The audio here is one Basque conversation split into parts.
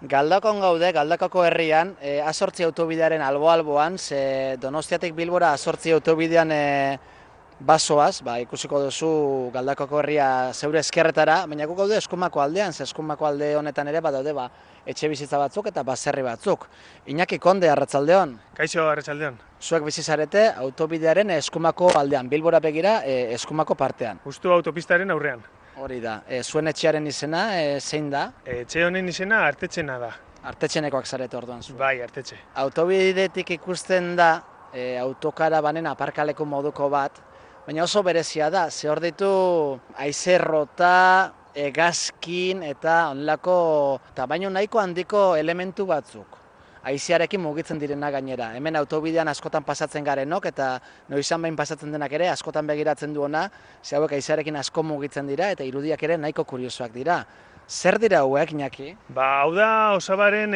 Galdakon gaude, Galdakako herrian, A8 autobidearen albo-alboan, ze Donostiatik Bilbora A8 autobidean basoaz, ikusiko duzu Galdakako herria zeure eskerretara, baina guk gaude Eskumako aldean, ze Eskumako alde honetan ere badaude etxe bizitza batzuk eta baserri batzuk. Iñaki Konde, arratsaldeon. Kaixo, arratsaldeon. Zuek bizi zarete autobidearen Eskumako aldean, Bilbora begira Eskumako partean. Justu autopistaren aurrean. Hori da, zuen etxearen izena zein da? Etxe honen izena Artetxena da. Artetxenekoak zarete orduan zu. Bai, Artetxe. Autobidetik ikusten da autokarabanen aparkaleko moduko bat, baina oso berezia da, ze hor ditu haizerrota, hegazkin eta onlako tamaino nahiko handiko elementu batzuk. Haizearekin mugitzen direna gainera. Hemen autobidean askotan pasatzen garenok eta noizan behin pasatzen denak ere askotan begiratzen duena, ze hauek haizearekin asko mugitzen dira eta irudiak ere nahiko kuriosoak dira. Zer dira hauek, Iñaki? Hau da Osabaren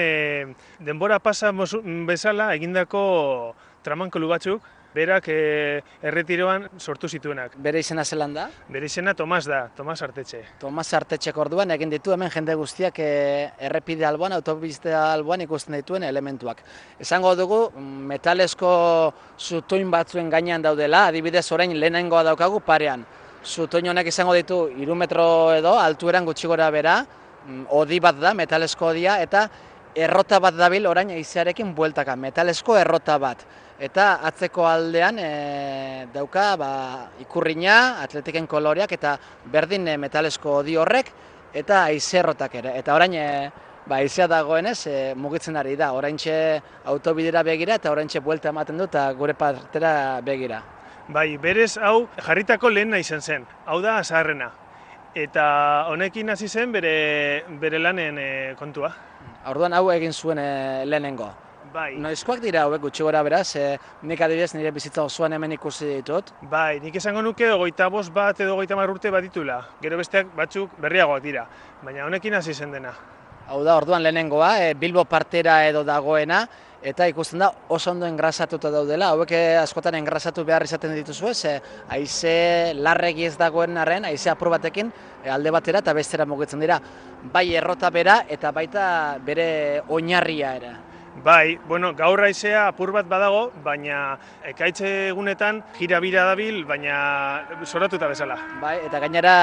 denbora pasa bezala egindako tramankulu batzuk, berak erretiroan sortu zituenak. Bere izena zelan da? Bere izena Tomas da, Tomas Artetxe. Tomas Artetxek orduan egin ditu hemen jende guztiak errepide alboan, autobide alboan ikusten dituen elementuak. Esango dugu metalezko zutoin batzuen gainean daudela, adibidez orain lehenengoa daukagu parean. Zutoin honek izango ditu 3 metro edo altueran gutxi gora bera, hodi bat da, metalezko hodia, eta errota bat dabil orain haizearekin bueltaka, metalezko errota bat. Eta atzeko aldean dauka ikurrina, atletiken koloreak eta berdin metalezko hodi horrek eta haizerrotak ere. Eta orain haizea dagoenez mugitzen ari da, oraintxe autobidera begira eta oraintxe buelta ematen du eta gure partera begira. Bai, berez hau jarritako lehena izan zen, hau da zaharrena. Eta honekin hasi zen bere lanen kontua. Orduan hau egin zuen lehenengo. Bai. Noizkoak dira hauek gutxi gora beraz, nik adibidez nire bizitza osoan hemen ikusi ditut. Bai, nik esango nuke 25 bat edo 30 urte bat ditula. Gero besteak batzuk berriagoak dira, baina honekin hasi zen dena. Hau da, orduan lehenengoa, Bilbo partera edo dagoena, eta ikusten da oso ondo engrasatuta daudela. Hauek askotan engrasatu behar izaten dituzu ez, haize larregi ez dagoen arren, haize apur batekin alde batera eta bestera mugitzen dira. Bai errota bera eta baita bere oinarria ere. Bai, gaur haizea apur bat badago, baina ekaitze egunetan jirabira dabil, baina zoratuta bezala. Bai, eta gainera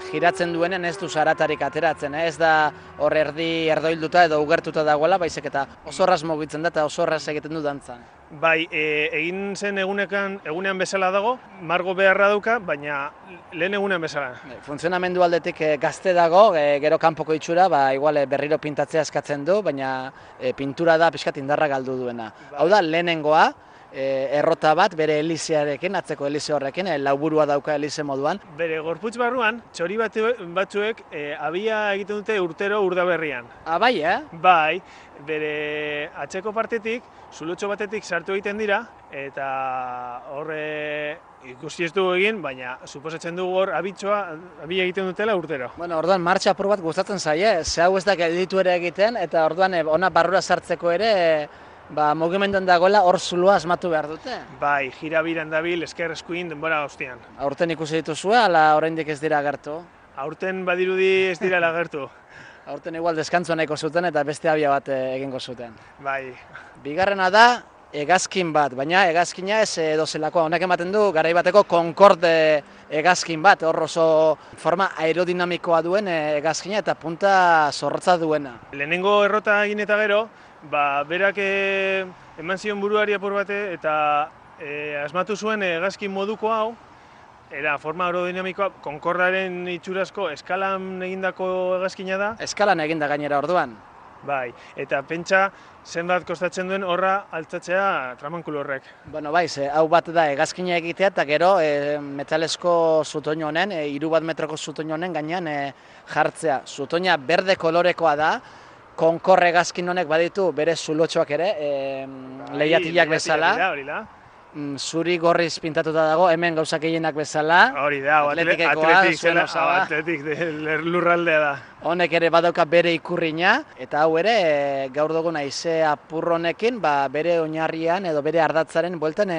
giratzen duenen ez du zaratarik ateratzen, ez da hor erdoilduta edo ugertuta dagoela, baizik eta oso erraz mugitzen da eta oso erraz egiten du dantzan. Bai, egin zen egunean bezala dago, margo beharra dauka, baina lehen egunean bezala. Funtzionamendu aldetik gazte dago, gero kanpoko itxura, igual berriro pintatzea eskatzen du, baina pintura da pixkat indarra galdu duena. Hau da, lehenengoa, errota bat, bere elizearekin, atzeko elize horrekin, lauburua dauka elize moduan. Bere gorputz barruan, txori batzuek abia egiten dute urtero urdaberrian. Bai, Bai, bere atzeko partetik, zulotxo batetik sartu egiten dira, eta horre ikusi ez dugu egin, baina suposatzen dugu hor abia egiten dutela urtero. Orduan martxa apur bat gustatzen zaie, ze hau ez da gelditu ere egiten, eta orduan ona barrura sartzeko ere mugimenduan dagoela hor zuloa asmatu behar dute. Bai, jirabiran dabil, esker eskuin denbora guztian. Aurten ikusi dituzue, ala oraindik ez dira agertu? Aurten badirudi ez dira agertu. Aurten igual deskantzua nahiko zuten eta beste abia bat egingo zuten. Bai. Bigarrena da hegazkin bat, baina hegazkina ez dozelakoa. Honek ematen du garai bateko Concorde hegazkin bat, hor oso forma aerodinamikoa duen hegazkina eta punta zorrotza duena. Lehenengo errota egin eta gero, berak eman zion buruari apur bate eta asmatu zuen hegazkin moduko hau, era forma aerodinamikoa, Concordaren itxurazko eskalan egindako hegazkina da. Eskalan eginda gainera orduan. Bai, eta pentsa zenbat kostatzen duen horra altzatzea tramankulu horrek. Bai, hau bat da hegazkina egitea eta gero metalezko zutoin honen, 3 bat metroko zutoin honen gainean jartzea. Zutoina berde kolorekoa da, Concorde hegazkin honek baditu bere zulotxoak ere, lehiatilak bezala. Zuri gorriz pintatuta dago, hemen gauzak gehienak bezala. Hori da, atletik lurraldea da. Honek ere badauka bere ikurrina, eta hau ere gaur dugun haize apur honekin bere oinarrian edo bere ardatzaren bueltan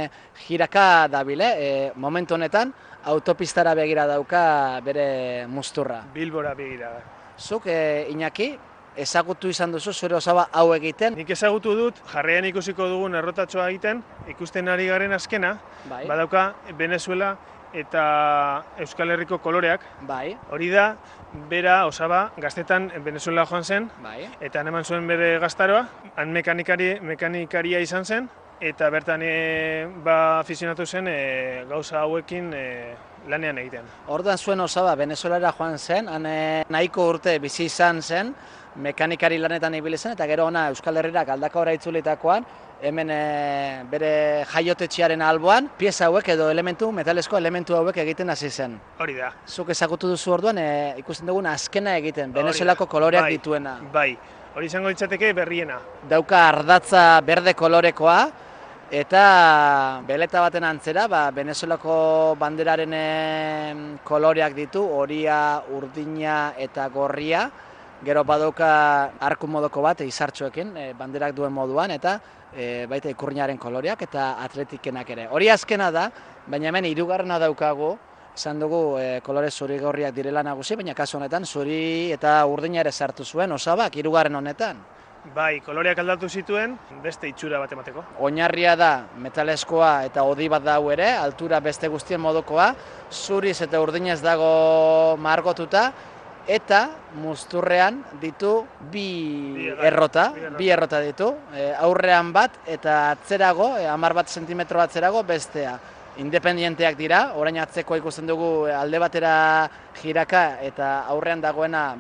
jiraka dabile. Momentu honetan autopistara begira dauka bere musturra. Bilbora begira da. Zuk, Iñaki, ezagutu izan duzu zure osaba hau egiten? Nik ezagutu dut, jarraian ikusiko dugun errotatxoa egiten, ikusten ari garen azkena, Bai. badauka Venezuela eta Euskal Herriko koloreak. Bai. Hori da, bera osaba gaztetan Venezuela joan zen, Bai. eta han eman zuen bere gaztaroa, han mekanikaria izan zen, eta bertan afizionatu zen gauza hauekin lanean egiten. Orduan zuen osaba Venezuelara joan zen, han nahiko urte bizi izan zen, mekanikari lanetan ibili zen, eta gero ona Euskal Herrira Galdakaora itzulitakoan, hemen bere jaiotetxearen alboan, pieza hauek edo metalesko elementu hauek egiten hasi zen. Hori da. Zuk ezagutu duzu orduan, ikusten dugun azkena egiten, Venezuelako koloreak dituena. Bai, hori izango litzateke berriena. Dauka ardatza berde kolorekoa, eta beleta baten antzera, Venezuelako banderaren koloreak ditu, horia, urdina eta gorria. Gero badauka arku modoko bat izartxoekin, banderak duen moduan, eta baita ikurriñaren koloreak eta atletikenak ere. Hori azkena da, baina hemen hirugarrena daukagu, esan dugu kolore zuri-gorriak direla nagusi, baina kasu honetan zuri eta urdina ere sartu zuen osabak hirugarren honetan. Bai, koloreak aldatu zituen, beste itxura bat emateko. Oinarria da metaleskoa eta hodi bat da hau ere, altura beste guztien modukoa, zuriz eta urdinez dago margotuta, eta musturrean ditu bi errota ditu, aurrean bat eta atzerago, 10 zentimetro atzerago bestea. Independienteak dira, orain atzeko ikusten dugu alde batera jiraka eta aurrean dagoena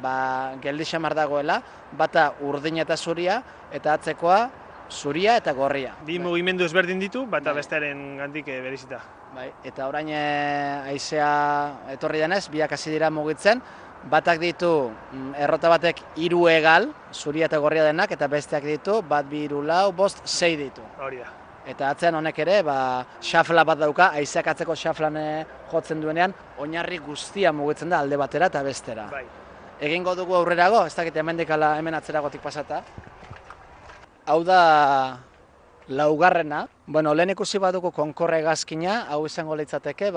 geldi xamar dagoela, bata urdina eta zuria, eta atzekoa zuria eta gorria. Bi mugimendu ezberdin ditu, bata bestearen gandik berezita. Eta orain haizea etorri denez, biak hasi dira mugitzen, batak ditu errota batek 3 hegal, zuria eta gorria denak, eta besteak ditu, 1, 2, 3, 4, 5, 6 ditu. Hori da. Eta atzean honek ere, xafla bat dauka, haizeak atzeko xaflan jotzen duenean, oinarri guztia mugitzen da alde batera eta bestera. Bai. Egingo dugu aurrerago, ez dakit hemen atzeragotik pasata. Hau da laugarrena. Lehen ikusi badugu konkorre hegazkina, hau izango litzateke,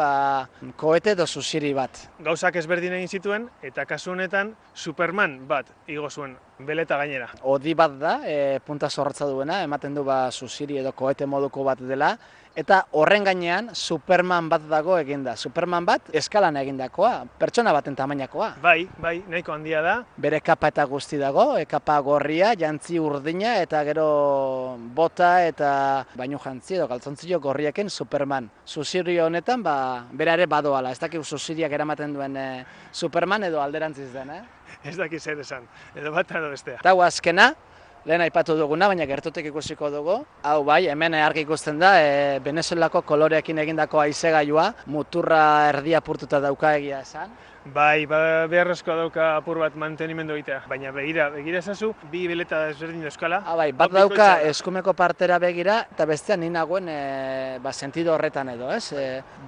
kohete edo zuziri bat. Gauzak ezberdin egin zituen, eta kasu honetan Superman bat igo zuen, beleta gainera. Hodi bat da, punta zorrotza duena, ematen du zuziri edo kohete moduko bat dela, eta horren gainean Superman bat dago eginda. Superman bat eskalan egindakoa, pertsona baten tamainakoa. Bai, nahiko handia da. Bere kapa eta guzti dago, kapa gorria, jantzi urdina, eta gero bota eta bainu jantzi edo galtzontzio gorriekin Superman. Zuziri honetan, bera ere badoala, ez dakik zuziriak eramaten duen Superman edo alderantziz den, Ez dakik zer esan, edo bat edo bestea. Eta azkena, lehen aipatu duguna, baina gertutik ikusiko dugu. Hau bai, hemen argi ikusten da, Venezuelako koloreekin egindako haizegailua, muturra erdia apurtuta dauka egia esan. Bai, beharrezkoa dauka apur bat mantenimendu egitea. Baina begira ezazu, bi beleta ezberdin euskala. Bai, bat dauka eskumeko partera begira, eta bestean ni nagoen sentido horretan edo, ez?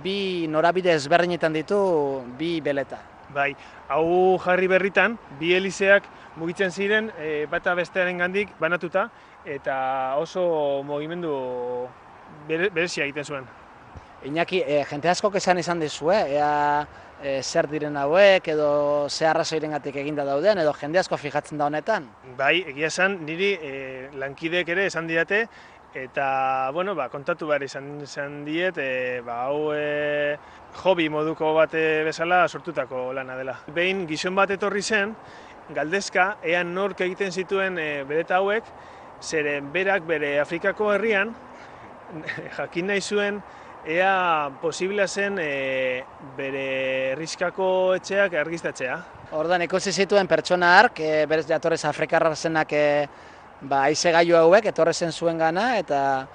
Bi norabide ezberdinetan ditu bi beleta. Bai, hau jarri berritan, bi helizeak mugitzen ziren bata bestearen gandik banatuta, eta oso mugimendu berezia egiten zuen. Iñaki, jente askok esan izan dizue, ea zer diren hauek, edo ze arrazoirengatik eginda dauden, edo jende asko fijatzen da honetan? Bai, egia esan, niri lankideek ere esan didate, eta, kontatu behar izan diet, hau hobi moduko bat bezala sortutako lana dela. Behin gizon bat etorri zen, galdezka, ea nork egiten zituen beleta hauek, zeren berak bere Afrikako herrian, jakin nahi zuen, ea posiblea zen bere herrixkako etxeak argiztatzea. Orduan ikusi zituen pertsona hark, berez jatorrez Afrikarra zenak haizegailu hauek, etorre zen zuen gana, eta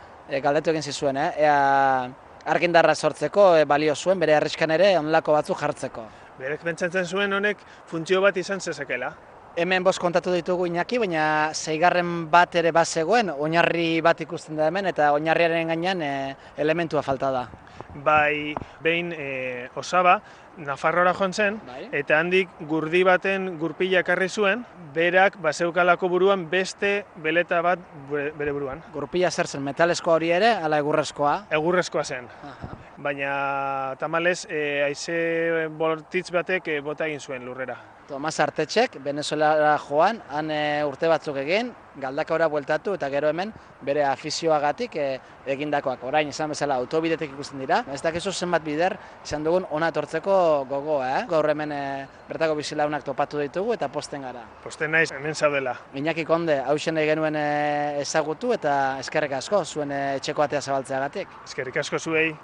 galdetu egin zizuen, ea argindarra sortzeko balio zuen, bere herrixkan ere onlako batzuk jartzeko. Berek pentsatzen zuen honek funtzio bat izan zezakela. Hemen 5 kontatu ditugu Iñaki, baina 6. bat ere bazegoen, oinarri bat ikusten da hemen, eta oinarriaren gainean elementua falta da. Bai, behin osaba, Nafarroara joan zen, Bai. eta handik gurdi baten gurpila ekarri zuen, berak bazeukalako buruan beste beleta bat bere buruan. Gurpila zer zen, metaleskoa hori ere, ala egurrezkoa? Egurrezkoa zen, Aha. baina tamalez haize bortitz batek bota egin zuen lurrera. Tomas Artetxek, Venezuelara joan, han urte batzuk egin, galdakaora bueltatu eta gero hemen bere afizioagatik egindakoak. Orain, esan bezala, autobidetek ikusten dira. Ez dakizu zenbat bider izan dugun ona etortzeko gogoa, Gaur hemen bertako bizilaunak topatu ditugu eta posten gara. Posten naiz hemen zaudela. Iñaki Konde, hausen nahi genuen ezagutu eta eskerrik asko zuen etxeko atea zabaltzeagatik. Eskerrik asko zuei.